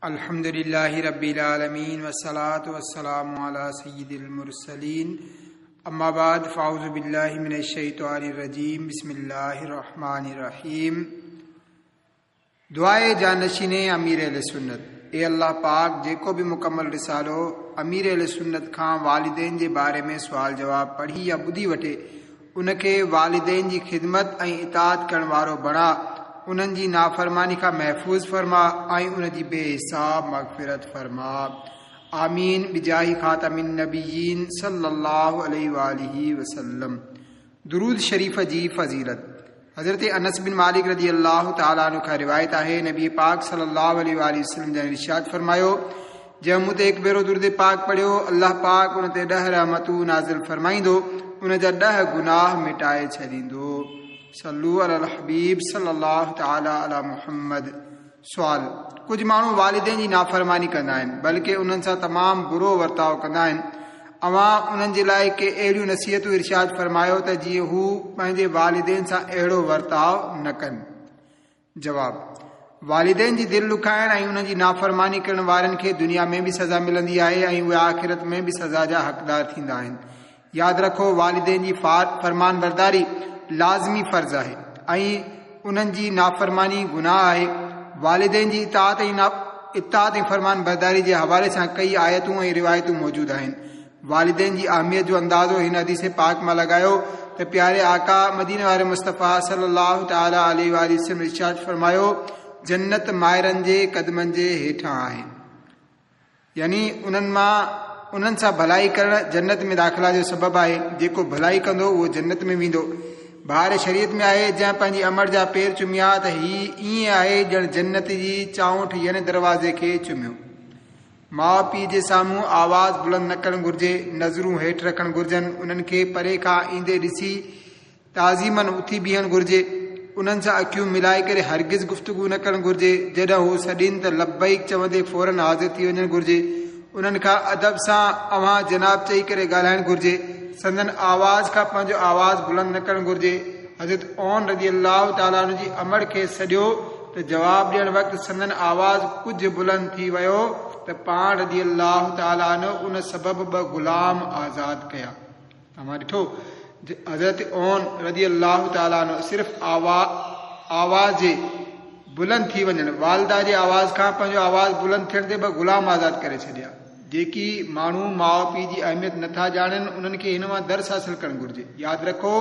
الحمد لله رب العالمين والصلاة والسلام على سيد المرسلين اما بعد فاعوذ بالله من الشيطان الرجيم بسم الله الرحمن الرحيم دعاء جانشين امير اهل سنت اي الله پاڪ جيڪو به مڪمل رسالو امير اهل سنت کان والدين جي باري ۾ سوال جواب پڙهي يا ٻڌي وٺي ان کي والدين جي خدمت ۽ اطاعت ڪرڻ وارو بڻاء، انهن جي نافرماني کان محفوظ فرماء ۽ ان جي بي حساب مغفرت فرماء. آمين بجاه خاتم النبيين صلي الله عليه واٰله وسلم. درود شريف جي فضيلت حضرت انس بن مالڪ رضي الله تعالٰي عنه کان روايت آهي نبي پاڪ صلي الله عليه واٰله وسلم جن ارشاد فرمايو جنهن مون تي هڪ ڀيرو درود پاڪ پڙهيو، الله پاڪ ان تي ڏهه رحمتون نازل فرمائيندو، ان جا ڏهه گناهه مٽائي ڇڏيندو. صلو علی الحبيب صلي الله تعالٰي علی محمد. سوال، ڪجهه ماڻهو والدين جي نافرماني ڪندا آهن، بلڪه انهن سان تمام برو ورتاء ڪندا آهن، اوهان انهن جي لاء ڪي اهڙيون نصيحتون ارشاد فرمايو ته جيئن هو پنهنجي والدين سان اهڙو ورتاء نه ڪن. جواب، والدين جي دل ڏکائڻ ۽ انهن جي نافرماني ڪرڻ وارن کي دنيا ۾ به سزا ملندي آهي ۽ اهي آخرت ۾ به سزا جا حقدار ٿيندا آهن. ياد رکو والدين جي فرمانبرداري لازمي فرض آهي ۽ انهن جي نافرماني گناهه آهي. والدين جي اطاعت ۽ اطاعت ۽ فرمانبرداري جي حوالي سان ڪئي آيتون ۽ روايتون موجود آهن. والدين جي اهميت جو اندازو هن حديث پاڪ مان لڳايو ته پياري آقا مديني واري مصطفيٰ صلي الله تعالٰي عليه واٰله وسلم ارشاد فرمايو، جنت مائرن جي قدمن جي هيٺان آهي. يعني انهن مان انهن سان ڀلائي ڪرڻ جنت ۾ داخلا جو سبب آهي، جيڪو ڀلائي ڪندو اهو جنت ۾ ويندو. بهار شريعت ۾ آهي، جنهن پنهنجي امڙ جا پير چميا ته هي ائين آهي ڄڻ جنت جي چانئٺ يعني دروازي کي چميو. ماء پيء جي سامهون آواز بلند نه ڪرڻ گهرجي، نظرون هيٺ رکڻ گهرجن، انهن کي پري کان ايندي ڏسي تعظيماً اٿي بيهڻ گهرجي، انهن سان اکيون ملائي ڪري هرگز گفتگو نه ڪرڻ گهرجي، جڏهن هو سڏين ته لبيڪ چوندي فوراً حاضر ٿي وڃڻ گهرجي، انهن کان ادب سان اوهان جناب چئي ڪري ڳالهائڻ گهرجي، سندن آواز کان پنهنجو آواز بلند نه ڪرڻ گهرجي. حضرت عون رضي الله تعالٰي عنه جي امڙ کيس سڏيو ته جواب ڏيڻ وقت سندن آواز ڪجهه بلند ٿي ويو ته پاڻ رضي الله تعالٰي عنه ان سبب ٻه غلام آزاد ڪيا. توهان ڏٺو حضرت عون رضي الله تعالٰي عنه صرف آواز جي بلند ٿي وڃڻ، والده جي آواز کان پنهنجو آواز بلند ٿيڻ تي ٻه غلام آزاد ڪري ڇڏيا. جيڪي ماڻهو ماء پيء جي اهميت نه ٿا ڄاڻن انهن کي هن مان درس حاصل ڪرڻ گهرجي. ياد رکو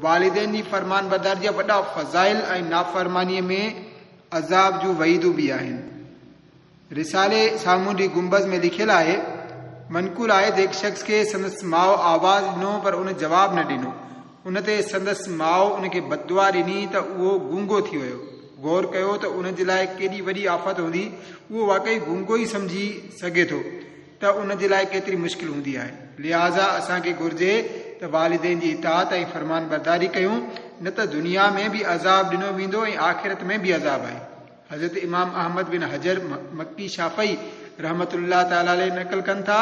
والدين جي فرمانبرداري جا وڏا فضائل ۽ نافرمانيء ۾ عذاب جون وعيدون به آهن. رسالي سامونڊي گنبذ ۾ لکيل آهي، منقول آهي ته هڪ شخص کي سندس ماء آواز ڏنو پر ان جواب نه ڏنو. ان تي سندس ماء ان کي بددعا ڏني ته اهو گونگو ٿي ويو. غور ڪيو ته ان جي لاء ڪيڏي وڏي آفت هوندي، اهو واقعي گونگو ئي سمجهي سگهي ٿو ته ان جي لاء ڪيتري مشڪل هوندي آهي. لهٰذا اسان کي گهرجي ته والدين جي اطاعت ۽ فرمانبرداري ڪيون، نه ته دنيا ۾ به عذاب ڏنو ويندو ۽ آخرت ۾ به عذاب آهي. حضرت امام احمد بن حجر مڪي شافعي رحمة الله تعالٰي عليه نقل ڪن ٿا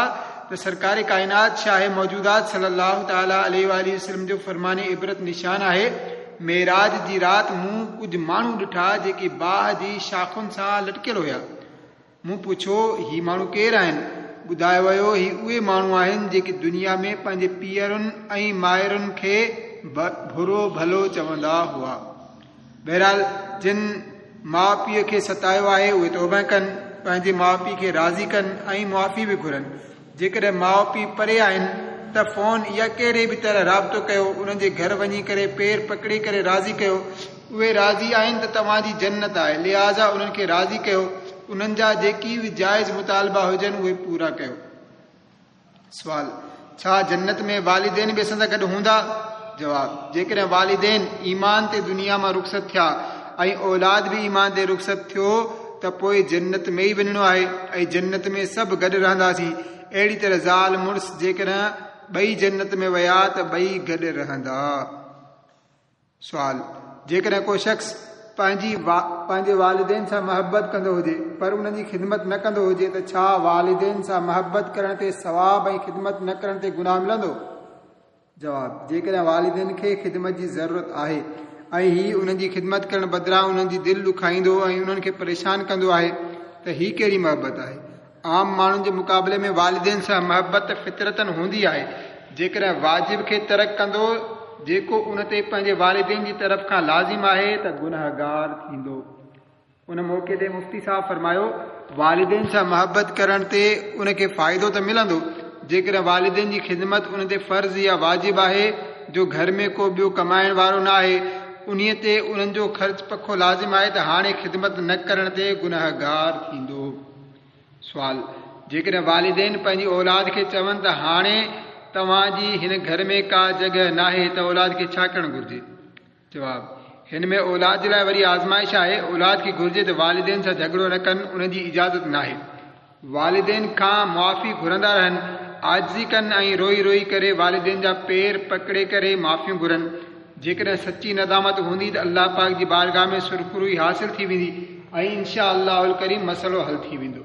ته سرڪار ڪائنات شاهه موجودات صلي الله تعالٰي عليه واٰله وسلم جو فرمان عبرت نشان آهي، معراج جي رات مون ڪجهه ماڻهو ڏٺا جيڪي باهه جي شاخن سان لٽڪيل هيا. مون پڇيو، هي ماڻهو ڪير آهن؟ ٻڌايو ويو، هي اهي ماڻهو آهن جيڪي دنيا ۾ پنهنجي پيئرن ۽ مائرن کي برو ڀلو چوندا هئا. بهرحال جن ماء پيء کي ستايو آهي اهي توبه ڪن، پنهنجي ماء پيء کي راضي ڪن ۽ معافي به گهرن. جيڪڏهن ماء پيء پري آهن ته فون يا ڪهڙي به طرح رابطو ڪيو، انهن جي گهر وڃي ڪري پير پڪڙي ڪري راضي ڪيو. اهي راضي آهن ته توهان جي جنت آهي، لهٰذا انهن کي راضي ڪيو، انهن جا جيڪي به جائز مطالبا هجن اهي پورا ڪيو. سوال، ڇا جنت ۾ والدين به اسان سان گڏ هوندا؟ جواب، جيڪڏهن والدين ايمان تي دنيا مان رخصت ٿيا ۽ اولاد به ايمان تي رخصت ٿيو ته پوء جنت ۾ ئي وڃڻو آهي ۽ جنت ۾ سڀ گڏ رهنداسين. اهڙي طرح زال مڙس جيڪڏهن ٻئي جنت ۾ ويا ته ٻئي گڏ رهندا. سوال، جيڪڏهن ڪو شخص پنهنجي پنهنجي والدين سان محبت ڪندو هجي پر انهن جي خدمت نه ڪندو هجي ته ڇا والدين سان محبت ڪرڻ تي ثواب ۽ خدمت نه ڪرڻ تي گناهه ملندو؟ جواب، جيڪڏهن والدين کي خدمت جي ضرورت آهي ۽ هي انهن جي خدمت ڪرڻ بدران انهن جي دل ڏکائيندو ۽ انهن کي پريشان ڪندو آهي ته هي ڪهڙي محبت آهي؟ عام ماڻهن جي مقابلي ۾ والدين سان محبت فطرتاً هوندي آهي. جيڪڏهن واجب کي ترڪ ڪندو جيڪو ان تي پنهنجي والدين جي طرف کان لازم آهي ته گنهگار ٿيندو. ان موقعي تي مفتي صاحب فرمايو، والدين سان محبت ڪرڻ تي ان کي فائدو ته ملندو، جيڪڏهن والدين جي خدمت ان تي فرض يا واجب آهي جو گهر ۾ ڪو ٻيو ڪمائڻ وارو نه آهي، انهيء تي انهن جو خرچ پکو لازم آهي ته هاڻي خدمت نه ڪرڻ تي گنهگار ٿيندو. سوال، جيڪڏهن والدين پنهنجي اولاد کي چون ته هاڻي توهان جي هن گهر ۾ ڪا جڳهه ناهي ته اولاد کي ڇا ڪرڻ گهرجي؟ جواب، هن ۾ اولاد جي لاء وري آزمائش آهي، اولاد کي گهرجي ته والدين سان جهڳڙو نه ڪن، انهن جي اجازت ناهي. والدين کان معافي گهرندا رهن، عاجزي ڪن ۽ روئي روئي ڪري والدين جا پير پڪڙي ڪري معافيون گهرن. جيڪڏهن سچي ندامت هوندي ته الله پاڪ جي بارگاهه ۾ سرخروئي حاصل ٿي ويندي ۽ انشاء الله الڪريم مسئلو حل ٿي ويندو.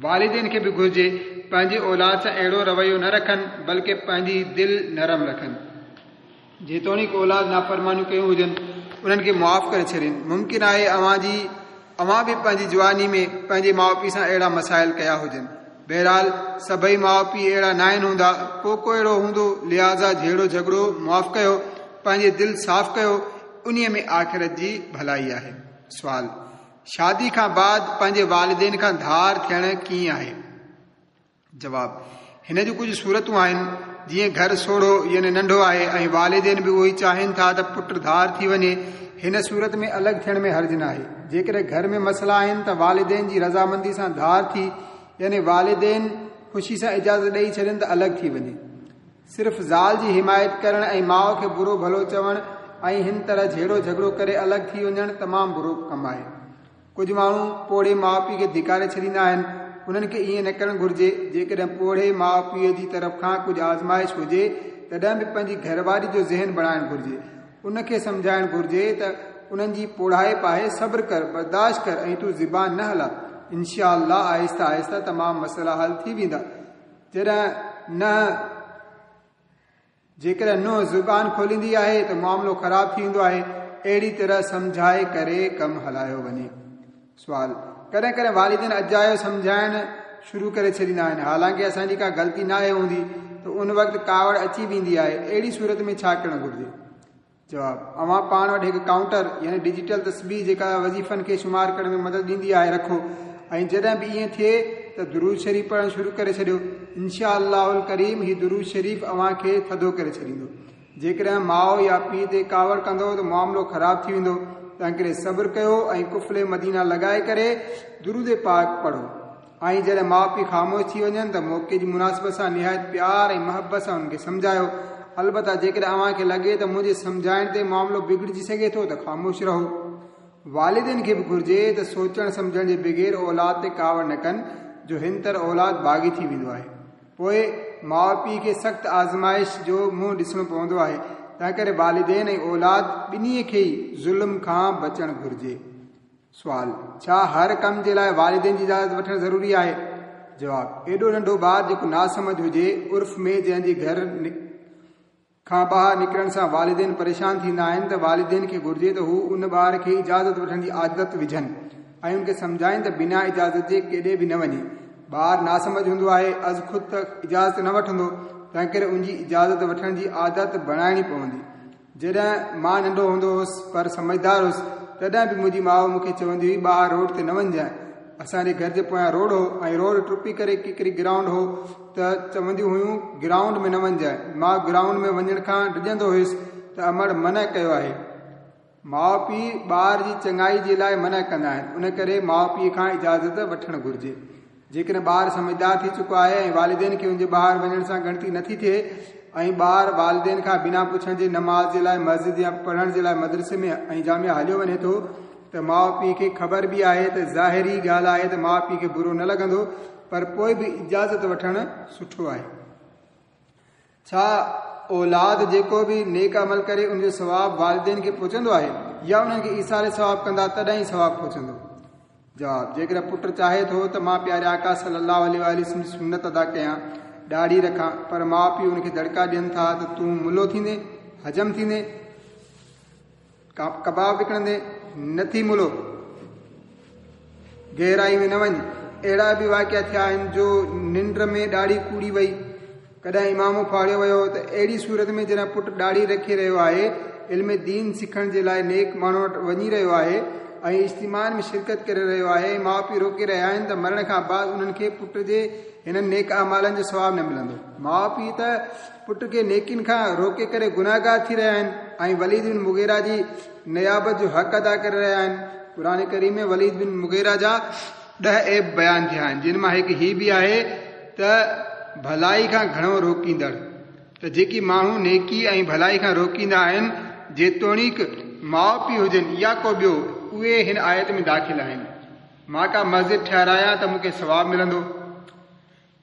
والدين کي به گهرجي پنهنجي اولاد سان اهڙو رويو نه رکن بلڪه پنهنجي دل نرم رکن. جيتوڻيڪ اولاد نافرمانيون ڪيون هجن انهن کي معاف ڪري ڇڏين. ممڪن آهي اوهان جي اوهان به پنهنجي جواني ۾ پنهنجي ماء پيء سان اهڙا مسائل ڪيا هجن. بهرحال سڀئي ماء پيء اهڙا ناهن هوندا، ڪو ڪو اهڙو هوندو، لهٰذا جهيڙو جهڳڙو معاف ڪيو، پنهنجي دل صاف ڪيو، انهيء ۾ آخرت جي ڀلائي آهي. سوال، شادي کان بعد پنهنجي والدين کان ڌار ٿيڻ ڪيئن آهي؟ جواب، هن جون ڪجهه صورتون آهن، جيئن گهر سوڙهو يعني ننڍو آهي ۽ والدين به اهو ئي چاهين ٿا ته پٽ ڌار ٿي وڃي، هن صورت ۾ الڳ ٿيڻ ۾ حرج ناهي. جيڪڏهن گهر ۾ مسئلا آهن ته والدين جي رضامندي سان ڌار ٿي يعني والدين خوشي سان اجازت ڏئي ڇڏين ته الڳ ٿي وڃي. صرف زال جي حمايت ڪرڻ ۽ ماء کي برو ڀلو چوڻ ۽ هن طرح جهيڙو جهڳڙو ڪري الڳ ٿي وڃڻ تمام برو ڪم آهي. ڪجهه ماڻهو پوڙهي ماء پيء کي ڌڪاري ڇڏيندا آهن، انهن کي ائين نه ڪرڻ گهرجي. جيڪڏهن پوڙهي ماء پيء جي طرف کان ڪجهه آزمائش هجي، تڏهن به پنهنجي گهرواري جو ذهن بڻائڻ گهرجي. ان کي سمجهائڻ گهرجي ته انهن جي پوڙهائپ آهي، صبر ڪر، برداشت ڪر ۽ تون زبان نه هلاء. انشاء الله آهستي آهستي تمام مسئلا حل ٿي ويندا. جڏهن ننهن. جيڪڏهن نونهن زبان کوليندي آهي ته معاملو خراب ٿي ويندو آهي، اهڙي طرح سمجهائي ڪري ڪم هلايو وڃي. سوال، ڪڏهن ڪڏهن والدين اجايو سمجهائڻ شروع ڪري ڇڏيندا آهن، حالانڪه اسان جي ڪا غلطي ناهي هوندي ته ان وقت ڪاوڙ اچي ويندي آهي، اهڙي صورت ۾ ڇا ڪرڻ گهرجي؟ جواب، اوهان پاڻ وٽ هڪ ڪائونٽر يعني ڊجيٽل تسبيح جيڪا وظيفن کي شمار ڪرڻ ۾ مدد ڏيندي آهي رکو ۽ جڏهن به ائين ٿئي ته درود شريف پڙهڻ شروع ڪري ڇڏيو انشاء الله الڪريم هي درود شريف اوهان کي ٿڌو ڪري ڇڏيندو. جيڪڏهن ماء يا پيء تي ڪاوڙ ڪندو ته معاملو خراب ٿي ويندو تنهنڪري صبر ڪيو ۽ قفل مدينه لڳائي ڪري درود پاڪ پڙهو ۽ جڏهن ماء پيء خاموش ٿي وڃن ته موقعي جي مناسبت سان نهايت پيار ۽ محبت سان انهن کي سمجهايو. البته جيڪڏهن اوهان کي لڳي ته منهنجي سمجهائڻ تي معاملو بگڙجي سگهي ٿو ته خاموش رهو. والدين کي به گهرجي ته سوچڻ سمجهڻ جي بغير اولاد تي ڪاوڙ نه ڪن جو هن طرح اولاد باغي ٿي ويندو آهي. پوء ماء پيء کي سخت آزمائش جو منهن ڏسڻو پوندو آهي. تنهنڪري والدين ۽ اولاد ٻنهي کي ئي ظلم کان بچڻ گهرجي. سوال، ڇا هر ڪم جي لاء والدين جي اجازت وٺڻ ضروري آهي؟ جواب، ايڏو ننڍو ٻار جيڪو ناسمجهه هجي، عرف ۾ جنهن جي گهر کان ٻاهر نڪرڻ سان والدين پريشان ٿيندا آهن ته والدين کي گهرجي ته هو ان ٻار کي اجازت وٺڻ جي عادت وجهن ۽ ان کي سمجهائين ته بنا اجازت جي ڪيڏي به نه وڃي. ٻار ناسمجهه هوندو آهي، از خود ته اجازت نه وٺندو، تنهنڪري ان جي اجازت وٺڻ جي عادت بڻائڻي پوندي. جڏهن مان ننڍو هوندو هوس پر سمجهدار هوس، تڏهن به منهنجي ماء مون کي چوندي هئي ٻاهر روڊ تي نه وڃجانء. اسان جي گهر جي پويان روڊ هو ۽ روڊ ٽپي ڪري ڪڪري گرائونڊ هو ته چونديون هيون گرائونڊ ۾ نه وڃجانء. مان گرائونڊ ۾ وڃڻ کان ڊڄندو هيس ته امڙ منع ڪيو آهي. ماء پيء ٻار جي چڱائي جي لاء منع ڪندا آهن، ان ڪري ماء پيء کان اجازت وٺڻ گهرجي. جيڪڏهن ٻار سمجهدار ٿي چڪو آهي ۽ والدين کي ان جي ٻاهر وڃڻ سان ڳڻتي نٿي ٿئي ۽ ٻار والدين کان بنا پڇڻ جي نماز جي لاء مسجد يا پڙهڻ جي لاء مدرسي ۾ ۽ جامعه هليو وڃي ٿو ته ماء پيء کي خبر به آهي ته ظاهري ڳالهه آهي ته ماء پيء کي برو نه لڳندو پر پوء به اجازت وٺڻ سٺو آهي. ڇا اولاد جيڪو به نيڪ عمل ڪري ان جو ثواب والدين کي پهچندو آهي يا انهن کي ايصال ثواب ڪندا تڏهن ئي ثواب پهچندو؟ جواب، جيڪڏهن پٽ چاهي ٿو ته مان پياري آقا صلي الله عليه واٰله وسلم جي سنت ادا ڪيان، ڏاڙهي رکان، پر ماء پيء ان کي دڙڪا ڏين ٿا ته تون ملو ٿيندين، حجم ٿيندين، ڪباب وڪڻندين، نه ٿي ملو، گهرائي ۾ نه وڃ. اهڙا به واقعا ٿيا آهن جو ننڊ ۾ ڏاڙهي ڪوڙي وئي، ڪڏهن عمامو ڦاڙيو ويو ته اهڙي صورت ۾ جڏهن پٽ ڏاڙهي رکي رهيو آهي، علم دين سکڻ جي لاء نيڪ ماڻهن وٽ وڃي رهيو آهي ۽ اجتماعن ۾ شرڪت ڪري رهيو آهي ۽ ماء پيء روڪي رهيا آهن ته مرڻ کان بعد انهن کي پٽ جي هنن نيڪ اعمالن جو ثواب نه ملندو. ماء پيء ته پٽ کي نيڪين کان روڪي ڪري گنهگار ٿي رهيا آهن ۽ وليد بن مغيره جي نيابت جو حق ادا ڪري رهيا آهن. قرآن ڪريم ۾ وليد بن مغيره جا ڏهه عيب بيان ٿيا آهن، جن مان هڪ هي به آهي ته ڀلائي کان گهڻو روڪيندڙ. ته جيڪي ماڻهو نيڪي ۽ ڀلائي کان روڪيندا آهن، جيتوڻيڪ ماء پيء هجن يا ڪو ٻيو، اهي هن آيت ۾ داخل آهن. مان ڪا مسجد ٺهرايان ته مون کي ثواب ملندو.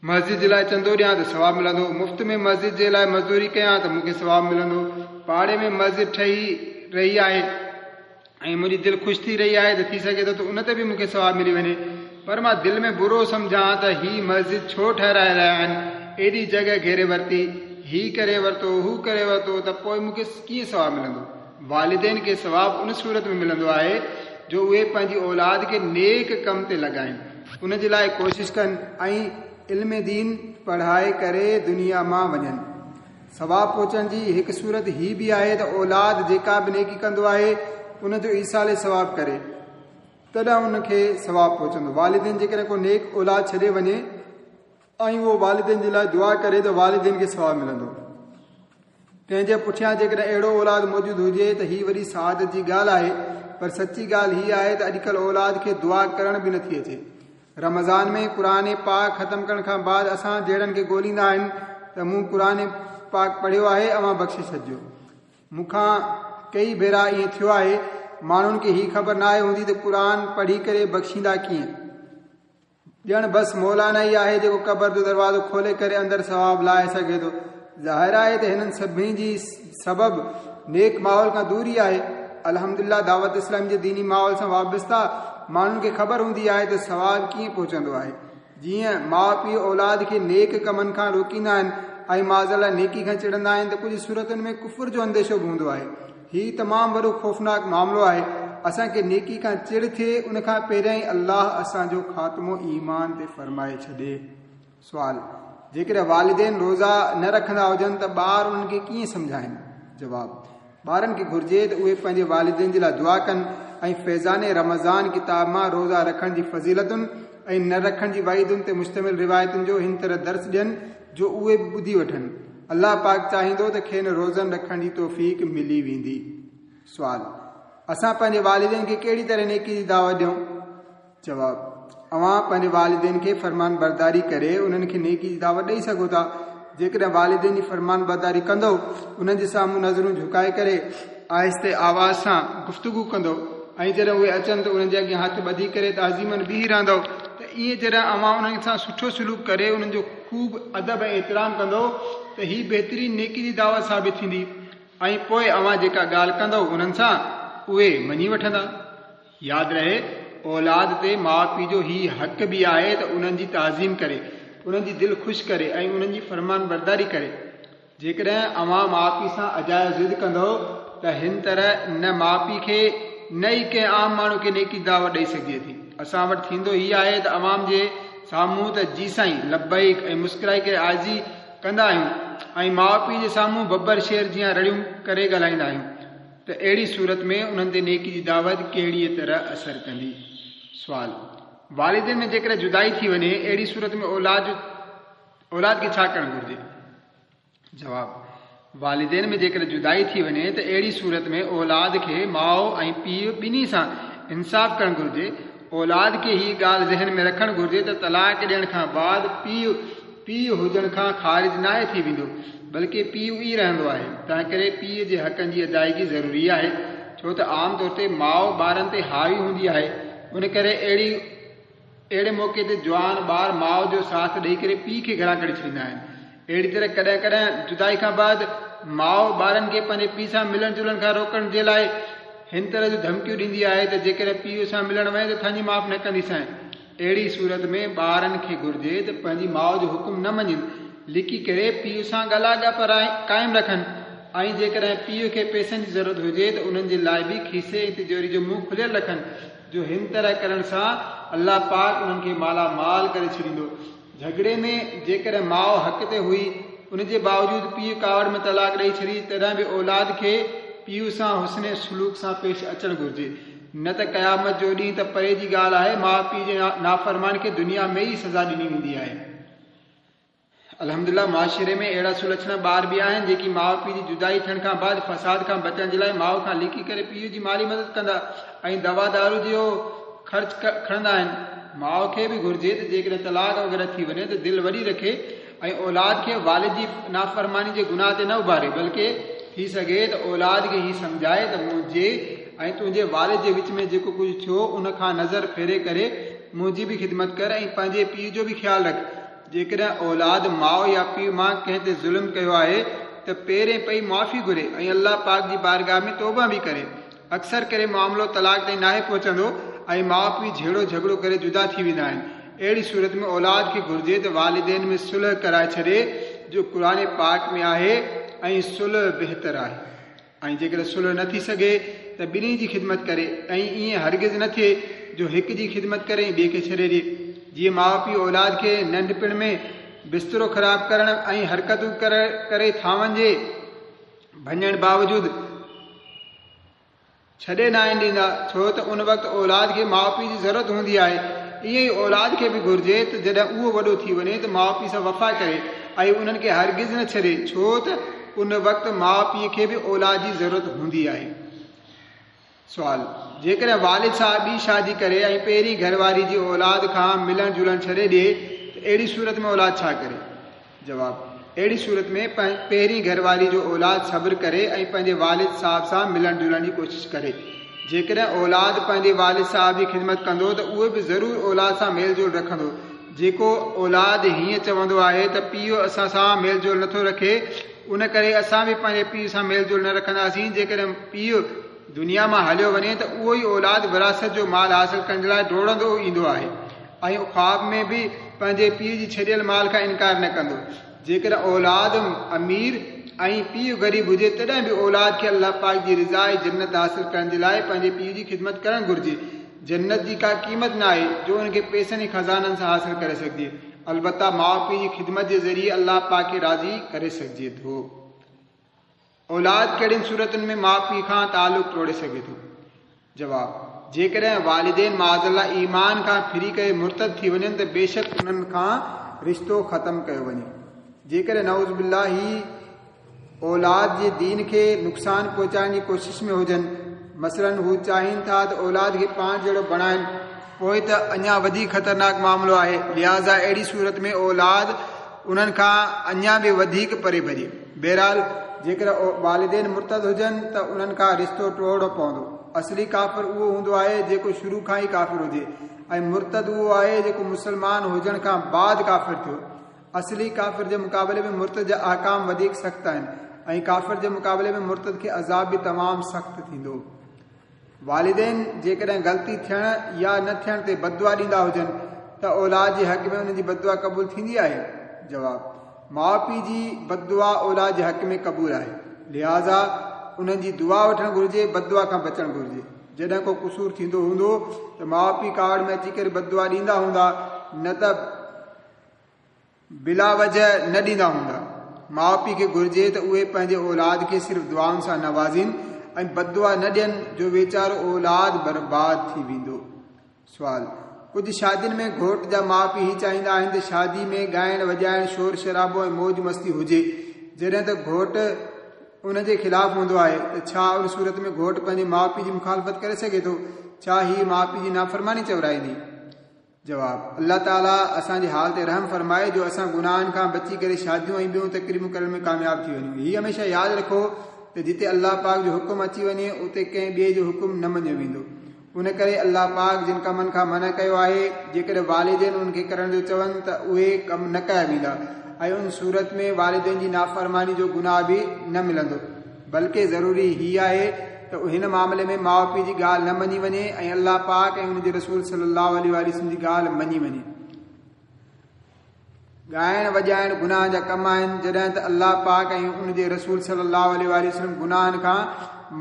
مسجد جي لاء چندو ڏيان ته ثواب ملندو. مفت ۾ مسجد جي لاء مزدوري ڪيان ته مون کي ثواب ملندو. پاڙي ۾ مسجد ٺهي رهي آهي ۽ منهنجي دل خوش ٿي رهي آهي ته ٿي سگهي ٿو ته ان تي به مون کي ثواب ملي وڃي. پر مان دل ۾ برو سمجهان ته هي مسجد ڇو ٺهرائي رهيا آهن، ايڏي جڳهه گهيري ورتي، هي ڪري ورتو، هو ڪري ورتو ته پوء مون کي ڪيئن ثواب ملندو؟ والدين کي ثواب ان صورت ۾ ملندو آهي جو اهي پنهنجي اولاد کي نيڪ ڪم تي لڳائين، ان جي لاء ڪوشش ڪن ۽ علم دين پڙهائي ڪري دنيا مان وڃن. ثواب پهچڻ جي هڪ صورت هي به آهي ته اولاد جيڪا به نيڪي ڪندو آهي ان جو ايصال ثواب ڪري تڏهن ان کي ثواب پهچندو. والدين جيڪڏهن ڪو نيڪ اولاد ڇڏي وڃي ۽ اهو والدين جي لاء دعا ڪري ته والدين کي ثواب ملندو. تنهن جي پٺيان جيڪڏهن اهڙو اولاد موجود هجي ته هي وڏي سعادت جي ڳالهه آهي پر سچي ڳالهه هي آهي ته اڄڪلهه اولاد کي دعا ڪرڻ به نٿي اچي. رمضان ۾ قرآن پاڪ ختم ڪرڻ کان بعد اسان جهڙن کي ڳوليندا آهن ته مون قرآن پاڪ پڙهيو آهي اوهان بخشي ڇڏجو. مون کان ڪيئي ڀيرا ائين ٿيو آهي ماڻهن کي هي خبر ناهي هوندي ته قرآن پڙهي ڪري بخشيندا ڪيئن. ڄڻ بس مولانا ئي آهي جيڪو قبر جو دروازو کولي ڪري اندر ثواب لاهي سگهي ٿو. ظاهر آهي ته هنن سڀني جي سبب نيڪ ماحول کان دوري آهي. الحمدلله دعوت اسلامي جي ديني ماحول سان وابسته ماڻهن کي خبر هوندي آهي ته ثواب ڪيئن پهچندو آهي. جيئن ماء پيء اولاد کي نيڪ ڪمن کان روڪيندا آهن ۽ معاذ الله نيڪي کان چڙندا آهن ته ڪجهه صورتن ۾ ڪفر جو انديشو به هوندو آهي. هي تمام وڏو خوفناڪ معاملو آهي. اسان کي نيڪي کان چڙ ٿئي ان کان پهريائين الله اسان جو خاتمو ايمان تي فرمائي ڇڏي. سوال، جيڪڏهن والدين روزا نه رکندا هجن ته ٻار انهن کي ڪيئن سمجهائين؟ جواب، ٻارن کي گهرجي ته اهي پنهنجي والدين جي لاء دعا ڪن ۽ فيضان رمضان ڪتاب مان روزا رکڻ جي فضيلتن ۽ نه رکڻ جي وعيدن تي مشتمل روايتن جو هن طرح درس ڏين جو اهي به ٻڌي وٺن. الله پاڪ چاهيندو ته کين روزن رکڻ جي توفيق ملي ويندي. سوال، اسان پنهنجي والدين کي ڪهڙي طرح نيڪي جي دعوت ڏيون؟ جواب، اوهان پنهنجي والدين کي فرمانبرداري ڪري انهن کي نيڪي جي دعوت ڏئي سگهو ٿا. جيڪڏهن والدين جي فرمانبرداري ڪندؤ، انهن جي سامهون نظرون جهڪائي ڪري آهستي آواز سان گفتگو ڪندؤ ۽ جڏهن اهي اچن ته انهن جي اڳيان هٿ ٻڌي ڪري تعظيماً بيهي رهندؤ ته ائين جڏهن اوهان انهن سان سٺو سلوڪ ڪري انهن جو خوب ادب ۽ احترام ڪندؤ ته هي بهترين نيڪي جي دعوت ثابت ٿيندي ۽ پوء اوهان جيڪا ڳالهه ڪندؤ انهن سان اهي مڃي وٺندا. ياد رهي اولاد تي ماء پيء جو هي حق به آهي ته انهن جي تعظيم ڪري، انهن جي دل خوش ڪري ۽ انهن جي فرمانبرداري ڪري. جيڪڏهن اوهان ماء پيء سان اجايو ضد ڪندؤ ته هن طرح نه ماء پيء کي نه ئي ڪنهن عام ماڻهو کي نيڪي جي دعوت ڏئي سگهجي ٿي. اسان وٽ ٿيندو هي آهي ته عوام جي سامهون ته جي سائين، لبيڪ ۽ مسڪرائي ڪري عاجزي ڪندا آهيون ۽ ماء پيء جي سامهون ببر شير جيان رڙيون ڪري ڳالهائيندا آهيون ته اهڙي صورت ۾ انهن تي نيڪي جي دعوت ڪهڙيء طرح اثر ڪندي؟ سوال، والدين ۾ جيڪڏهن جدائي ٿي وڃي اهڙي صورت ۾ اولاد جو اولاد کي ڇا ڪرڻ گهرجي؟ جواب، والدين ۾ جيڪڏهن جدائي ٿي وڃي ته اهڙي صورت ۾ اولاد کي ماء ۽ پيء ٻنهي سان انصاف ڪرڻ گهرجي. اولاد کي هيء ڳالهه ذهن ۾ رکڻ گهرجي ته طلاق ڏيڻ کان بعد پيء پيء هجڻ کان خارج ناهي ٿي ويندو بلڪه پيء ئي رهندو آهي. تنهنڪري پيء جي حقن جي ادائيگي ضروري آهي ڇو ته عام طور تي ماء ٻارن تي حاوي هوندي آهي ان ڪري اهڙي اهڙي موقعي تي جوان ٻار ماء جو ساٿ ڏئي ڪري پيء کي گهران ڪڍي ڇڏيندا آهن. اهڙي طرح ڪڏهن ڪڏهن جدائي کان بعد ماء ٻارن کي پنهنجي پيء سان ملڻ جلڻ کان روڪڻ جي لاء هن طرح جون ڌمڪيون ڏيندي آهي ته جيڪڏهن پيء سان ملڻ وئين ته ٿڃ معاف نه ڪنديسانء. اهڙي صورت ۾ ٻارن کي گهرجي ته پنهنجي ماء جو حڪم نه مڃين، لڪي ڪري پيء سان ڳلا ڳپ قائم رکن ۽ جيڪڏهن پيء کي پئسن جي ضرورت هجي ته انهن جي لاء به کيسي ۽ تجوري جو منهن کليل رکن. جو هن طرح ڪرڻ سان الله پاڪ انهن کي مالا مال ڪري ڇڏيندو. جهڳڙي ۾ جيڪڏهن ماء حق تي هئي، ان جي باوجود پيء ڪاوڙ ۾ طلاق ڏئي ڇڏي، تڏهن به اولاد کي پيء سان حسن سلوڪ سان پيش اچڻ گهرجي، نه ته قيامت جو ڏينهن ته پري جي ڳالهه آهي، ماء پيء جي نافرمان کي دنيا ۾ ئي سزا ڏني ويندي آهي. الحمدلله معاشري ۾ اهڙا سلڇڻا ٻار به آهن جيڪي ماء پيء جي جدائي ٿيڻ کان بعد فساد کان بچڻ جي لاء ماء کان لڪي ڪري پيء جي مالي مدد ڪندا ۽ دوا دارو جو خرچ کڻندا آهن. ماء کي به گهرجي ته جيڪڏهن طلاق وغيره ٿي وڃي ته دل وڏي رکي ۽ اولاد کي والد جي نافرماني جي گناهه تي نه اڀاري بلڪه ٿي سگهي ته اولاد کي هي سمجهائي ته منهنجي ۽ تنهنجي والد جي وچ ۾ جيڪو ڪجهه ٿيو ان کان نظر ڦيري ڪري منهنجي به خدمت ڪر ۽ پنهنجي پيء جو به خيال رک. جيڪڏهن اولاد ماء يا پيء مان ڪنهن تي ظلم ڪيو آهي ته پيرين پئي معافي گهري ۽ الله پاڪ جي بارگاهه ۾ توبه به ڪري. اڪثر ڪري معاملو طلاق تائين ناهي پهچندو ۽ ماء پيء جهيڙو جهڳڙو ڪري جدا ٿي ويندا آهن. اهڙي صورت ۾ اولاد کي گهرجي ته والدين ۾ صلح ڪرائي ڇڏي جو قرآن پاڪ ۾ آهي ۽ صلح بهتر آهي. ۽ جيڪڏهن صلح نه ٿي سگهي ته ٻنهي جي خدمت ڪري ۽ ائين هرگز نه ٿئي جو هڪ جي خدمت ڪري ۽ ٻئي کي ڇڏي ڏئي. جيئن ماء پيء اولاد کي ننڍپڻ ۾ بسترو خراب ڪرڻ ۽ حرڪتون ڪري ٿانون جي ڀڃڻ باوجود ڇڏي ناهن ڏيندا، ڇو ته ان وقت اولاد کي ماء پيء جي ضرورت هوندي آهي. ائين ئي اولاد کي به گهرجي ته جڏهن اهو وڏو ٿي وڃي ته ماء پيء سان وفا ڪري ۽ انهن کي هرگز نه ڇڏي، ڇو ته ان وقت ماء پيء کي به اولاد جي ضرورت هوندي آهي. سوال، جيڪڏهن والد صاحب ٻي شادي ڪري ۽ پهرين گهر واري جي اولاد کان ملڻ جلڻ ڇڏي ڏئي ته اهڙي صورت ۾ اولاد ڇا ڪري؟ جواب، اهڙي صورت ۾ پهرين گهر واري جو اولاد صبر ڪري ۽ پنهنجي والد صاحب سان ملڻ جلڻ جي ڪوشش ڪري. جيڪڏهن اولاد پنهنجي والد صاحب جي خدمت ڪندو ته اهو به ضرور اولاد سان ميل جول رکندو. جيڪو اولاد هيئن چوندو آهي ته پيء اسان سان ميل جول نٿو رکي ان ڪري اسان به پنهنجي پيء سان ميل جول نه رکنداسين جيڪڏهن پيء دنيا مان هليو وڃي ته اهو ئي اولاد وراثت جو مال حاصل ڪرڻ جي لاء ڊوڙندو ايندو آهي ۽ خواب ۾ به پنهنجي پيء جي ڇڏيل مال کان انڪار نه ڪندو. جيڪڏهن اولاد امير ۽ پيء غريب هجي تڏهن به اولاد کي الله پاڪ جي رضا ۽ جنت حاصل ڪرڻ جي لاء پنهنجي پيء جي خدمت ڪرڻ گهرجي. جنت جي ڪا قيمت نه آهي جو ان کي پئسن ۽ خزانن سان حاصل ڪري سگهجي. البته ماء پيء جي خدمت جي ذريعي الله پاڪ کي راضي ڪري سگهجي ٿو. اولاد ڪهڙين صورتن ۾ ماء پيء کان تعلق ٽوڙي سگهي ٿو؟ جواب، جيڪڏهن والدين معاذ الله ايمان کان ڦري ڪري مرتد ٿي وڃن ته بيشڪ انهن کان رشتو ختم ڪيو وڃي. جيڪڏهن نعوذ بالله هي اولاد جي دين کي نقصان پهچائڻ جي ڪوشش ۾ هجن مثلاً هو چاهين ٿا ته اولاد کي پاڻ جهڙو بڻائن پوء ته اڃا وڌيڪ خطرناڪ معاملو آهي لهٰذا اهڙي صورت ۾ اولاد انهن کان اڃا به وڌيڪ پري ڀڄي. بهرحال جيڪڏهن والدين مرتد هجن ته انهن کان رشتو ٽوڙڻو پوندو. اصلي ڪافر اهو هوندو آهي جيڪو شروع کان ئي ڪافر هجي ۽ مرتد اهو آهي جيڪو مسلمان هجڻ کان بعد ڪافر ٿيو. اصلي ڪافر جي مقابلي ۾ مرتد جا احڪام وڌيڪ سخت آهن ۽ ڪافر جي مقابلي ۾ مرتد کي عذاب به تمام سخت ٿيندو. والدين جيڪڏهن غلطي ٿيڻ يا نه ٿيڻ تي بددعا ڏيندا هجن ته اولاد جي حق ۾ انهن جي بددعا قبول ٿيندي آهي؟ جواب، ماء پيء جي بددعا اولاد جي حق ۾ قبول آهي، لهٰذا انهن جي دعا وٺڻ گهرجي، بددعا کان بچڻ گهرجي. جڏهن ڪو قصور ٿيندو هوندو ته ماء پيء ڪاوڙ ۾ اچي ڪري بددعا ڏيندا هوندا، نه ته بلا وجه نه ڏيندا هوندا. ماء پيء کي گهرجي ته اهي پنهنجي اولاد کي صرف دعائن سان نوازين ۽ بددعا نه ڏين جو ويچارو اولاد برباد ٿي ويندو. سوال، ڪجهه شادين ۾ گهوٽ جا ماء پيء هي چاهيندا آهن ته شادي ۾ ڳائڻ وڄائڻ، شور شرابو ۽ موج مستي هجي، جڏهن ته گهوٽ ان جي خلاف هوندو آهي ته ڇا ان صورت ۾ گهوٽ پنهنجي ماء پيء جي مخالفت ڪري سگهي ٿو؟ ڇا هي ماء پيء جي نافرماني چورائيندي؟ جواب، الله تعالي اسان جي حال تي رحم فرمائي جو اسان گناهن کان بچي ڪري شاديون ۽ ٻيون تقريبون ڪرڻ ۾ ڪامياب ٿي وڃون. هي هميشه ياد رکو ته جتي الله پاڪ جو حڪم اچي وڃي اتي ڪنهن ٻئي جو حڪم نه مڃيو ويندو. ان ڪري الله پاڪ جن ڪمن کان منع ڪيو آهي جيڪڏهن والدين انهن کي ڪرڻ جو چون ته اهي ڪم نه ڪيا ويندا ۽ ان صورت ۾ والدين جي نافرماني جو گناهه به نه ملندو. بلڪه ضروري هي آهي ته هن معاملي ۾ ماء پيء جي ڳالهه نه مڃي وڃي ۽ الله پاڪ ۽ ان جي رسول صلي الله عليه واٰله وسلم جي ڳالهه مڃي وڃي. ڳائڻ وڄائڻ گناهن جا ڪم آهن، جڏهن ته الله پاڪ ۽ ان جي رسول صلي الله عليه واٰله وسلم گناهن کان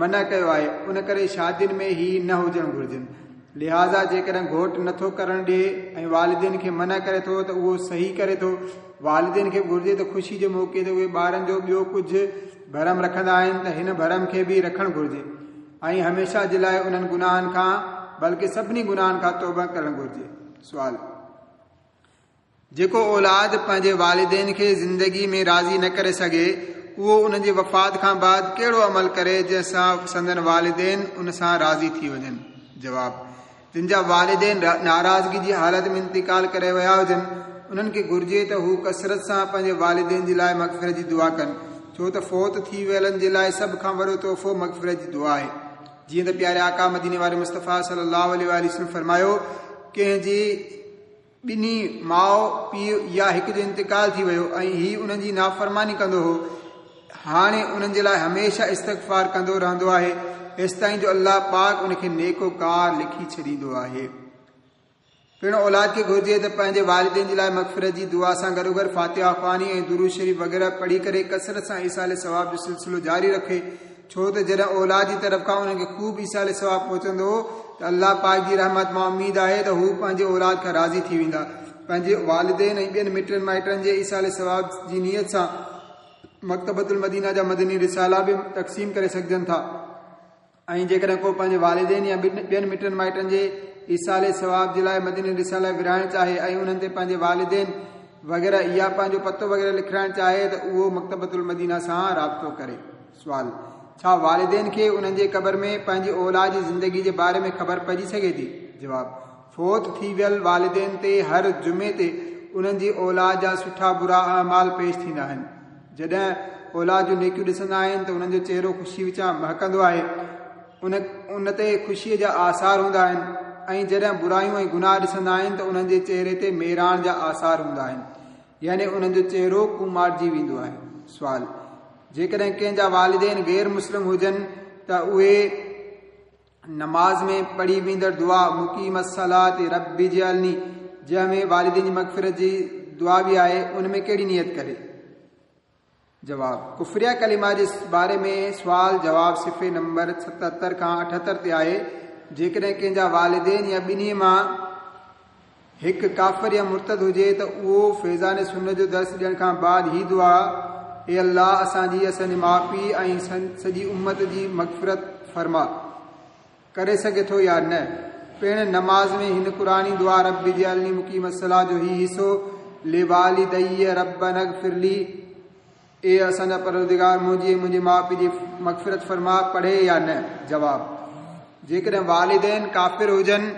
منع ڪيو آهي، ان ڪري شادين ۾ هي نه هجڻ گهرجن. لهٰذا جيڪڏهن گهوٽ نه ٿو ڪرڻ ڏئي ۽ والدين کي منع ڪري ٿو ته اهو صحيح ڪري ٿو. والدين کي به گهرجي ته خوشي جي موقعي تي اهي ٻارن جو ٻيو ڪجهه ڀرم رکندا آهن ته هن ڀرم کي به رکڻ گهرجي ۽ هميشه جي لاء انهن گناهن کان بلڪه سڀني گناهن کان توبه ڪرڻ گهرجي. سوال. جيڪو اولاد پنهنجي والدين کي زندگي ۾ راضي نه ڪري سگهي، اهو انهن جي وفات کان بعد ڪهڙو عمل ڪري جنهن سان سندن والدين ان سان راضي ٿي وڃن؟ جواب، جن جا والدين ناراضگي جي حالت ۾ انتقال ڪري ويا هجن، انهن کي گهرجي ته هو ڪثرت سان پنهنجي والدين جي لاء مغفرت جي دعا ڪن، ڇو ته فوت ٿي ويلن جي لاء سڀ کان وڏو تحفو مغفرت جي دعا آهي. جيئن ته پياري آقا مديني واري مصطفيٰ صلي الله عليه واٰله وسلم فرمايو، ڪنهن جي ٻنهي ماء پيء يا هڪ جو انتقال ٿي ويو ۽ هي انهن جي نافرماني ڪندو هو، هاڻي انهن جي لاء هميشه استغفار ڪندو رهندو آهي، ايستائين جو الله پاڪ ان کي نيڪوڪار لکي ڇڏيندو آهي. پڻ اولاد کي گهرجي ته پنهنجي والدين جي لاء مغفرت جي دعا سان گڏوگڏ فاتحه خواني ۽ درود شريف وغيره پڙهي ڪري ڪثرت سان ايصال ثواب جو سلسلو جاري رکي، ڇو ته جڏهن اولاد جي طرف کان انهن کي خوب ايصال ثواب پهچندو ته الله پاڪ جي رحمت مان اميد آهي ته هو پنهنجي اولاد کان راضي ٿي ويندا. پنهنجي والدين ۽ ٻين مٽن مائٽن جي ايصال ثواب جي نيت سان مڪتبة المدينه جا مدني رسالا به تقسيم ڪري سگهجن ٿا ۽ جيڪڏهن ڪو پنهنجي والدين يا ٻين مٽن مائٽن جي ايصال ثواب جي لاء مدني رسالا ورهائڻ چاهي ۽ انهن تي پنهنجي والدين وغيره يا پنهنجو پتو وغيره لکرائڻ چاهي ته اهو مڪتبة المدينه سان رابطو ڪري. سوال، ڇا والدين کي انهن جي قبر ۾ پنهنجي اولاد جي زندگي جي باري ۾ خبر پئجي سگهي ٿي؟ جواب، فوت ٿي ويل والدين تي هر جمعي تي انهن جي اولاد جا سٺا برا اعمال پيش ٿيندا آهن. جڏهن اولاد جون نيڪيون ڏسندا آهن ته انهن جو چهرو خوشي وچان مهڪندو آهي. ان ان تي خوشيء جا آثار هوندا آهن ۽ جڏهن برايون ۽ گناهه ڏسندا آهن ته انهن جي چهري تي ميراڻ جا آثار هوندا آهن يعني انهن جو چهرو ڪوماٽجي ويندو آهي. سوال، جيڪڏهن ڪنهن جا والدين غير مسلم هجن ته اهي نماز ۾ پڙهي ويندڙ دعا مقيم الصلاة رب اجعلني جنهن ۾ والدين جي مغفرت جي دعا به آهي ان ۾ ڪهڙي نيت ڪري؟ جواب، ڪفريه ڪلمه جي باري ۾ سوال جواب صفحي نمبر 77 کان 78 تي آهي، جيڪڏهن ڪنهن جا والدين يا ٻنهي مان هڪ ڪافر يا مرتد هجي ته اهو فيضان سنت جو درس ڏيڻ کان بعد هي دعا اي الله اسان جي اسان جي ماء پيء ۽ سڄي امت جي مغفرت فرما ڪري سگهي ٿو يا نه؟ پڻ نماز ۾ هن قرآني دعا رب اجعلني مقيم الصلاة جو هي حصو لوالدي ربنا اغفر لي اي اسان جا پروردگار منهنجي ۽ منهنجي ماء پيء جي مغفرت فرما پڙهي يا نه؟ جواب، جيڪڏهن والدين ڪافر هجن.